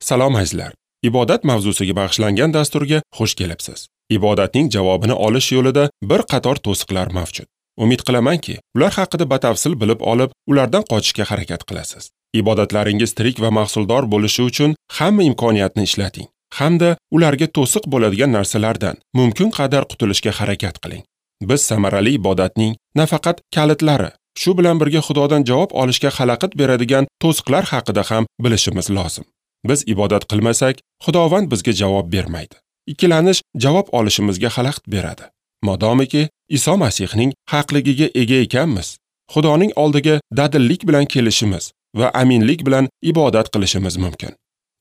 Salom azizlar. Ibodat mavzusiga bag'ishlangan dasturga xush kelibsiz. Ibodatning javobini olish yo'lida bir qator to'siqlar mavjud. Umid qilamanki, ular haqida batafsil bilib olib, ulardan qochishga harakat qilasiz. Ibodatlaringiz tirik va mahsuldor bo'lishi uchun hamma imkoniyatni ishlating hamda ularga to'siq bo'ladigan narsalardan mumkin qadar qutulishga harakat qiling. Biz samarali ibodatning nafaqat kalitlari, shu bilan birga Xudodan javob olishga xalaqit beradigan to'siqlar haqida ham bilishimiz lozim. Biz ibodat qilmasak, Xudovand bizga javob bermaydi. Ikkilanish javob olishimizga xalaqit beradi. Modomiki Iso Masihning haqligiga ega ekanmiz, Xudoning oldiga dadillik bilan kelishimiz va aminlik bilan ibodat qilishimiz mumkin.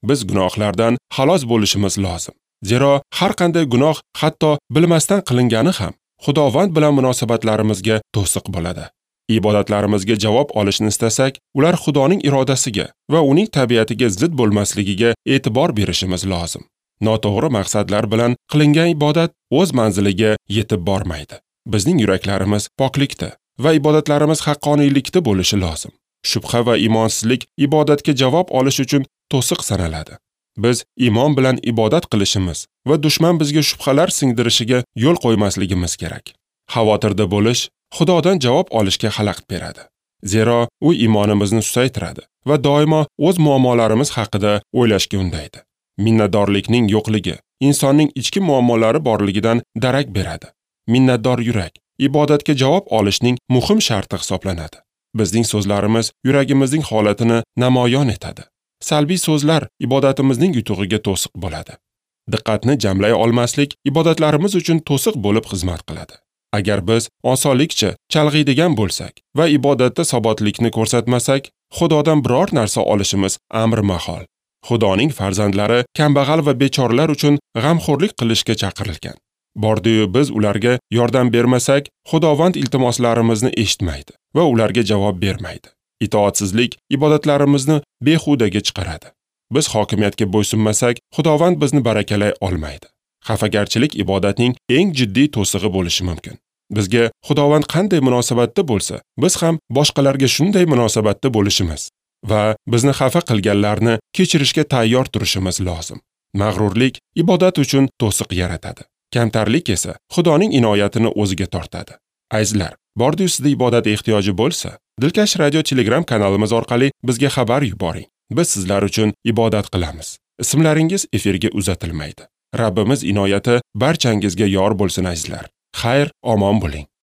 Biz gunohlardan xalos bo'lishimiz lozim. Zero har qanday gunoh, hatto bilmasdan qilingani ham Xudovand bilan munosabatlarimizga to'siq bo'ladi. Ibodatlarimizga javob olishni istasak, ular Xudoning irodasiga va uning tabiatiga zid bo'lmasligiga e'tibor berishimiz lozim. Noto'g'ri maqsadlar bilan qilingan ibodat o'z manziliga yetib bormaydi. Bizning yuraklarimiz poklikda va ibodatlarimiz haqqoniylikda bo'lishi lozim. Shubha va imonsizlik ibodatga javob olish uchun to'siq sanaladi. Biz iymon bilan ibodat qilishimiz va dushman bizga shubhalar singdirishiga yo'l qo'ymasligimiz kerak. Xavotirda bo'lish Xudodan javob olishga xalaqit beradi. Zero u iymonimizni susaytiradi va doimo o'z muammolarimiz haqida o'ylashga undaydi. Minnatdorlikning yo'qligi insonning ichki muammolari borligidan darak beradi. Minnatdor yurak ibodatga javob olishning muhim sharti hisoblanadi. Bizning so'zlarimiz yuragimizning holatini namoyon etadi. Salbiy so'zlar ibodatimizning yutug'iga to'siq bo'ladi. Diqqatni jamlay olmaslik ibodatlarimiz uchun to'siq bo'lib xizmat qiladi. Agar biz osonlikcha chalg'iydigan bo'lsak va ibodatda sobotlikni ko'rsatmasak, Xudodan biror narsa olishimiz amri mahol. Xudoning farzandlari kambag'al va bechoralar uchun g'amxo'rlik qilishga chaqirilgan. Bordi-yu biz ularga yordam bermasak, Xudovand iltimoslarimizni eshitmaydi va ularga javob bermaydi. Itoatsizlik ibodatlarimizni behudaga chiqaradi. Biz hokimiyatga bo'ysunmasak, Xudovand bizni barakalay olmaydi. Xafagarchilik ibodatning eng jiddiy to'sig'i bo'lishi mumkin. Bizga Xudovand qanday munosabatda bo'lsa, biz ham boshqalarga shunday munosabatda bo'lishimiz va bizni xafa qilganlarni kechirishga tayyor turishimiz lozim. Mag'rurlik ibodat uchun to'siq yaratadi. Kamtarlik esa Xudoning inoyatini o'ziga tortadi. Azizlar, bordi-yu sizda ibodat ehtiyoji bo'lsa, Dilkash Radio Telegram kanalimiz orqali bizga xabar yuboring. Biz sizlar uchun ibodat qilamiz. Ismlaringiz efirga uzatilmaydi. Rabbimiz inoyati barchangizga yor bo'lsin azizlar. Xayr, omon bo'ling.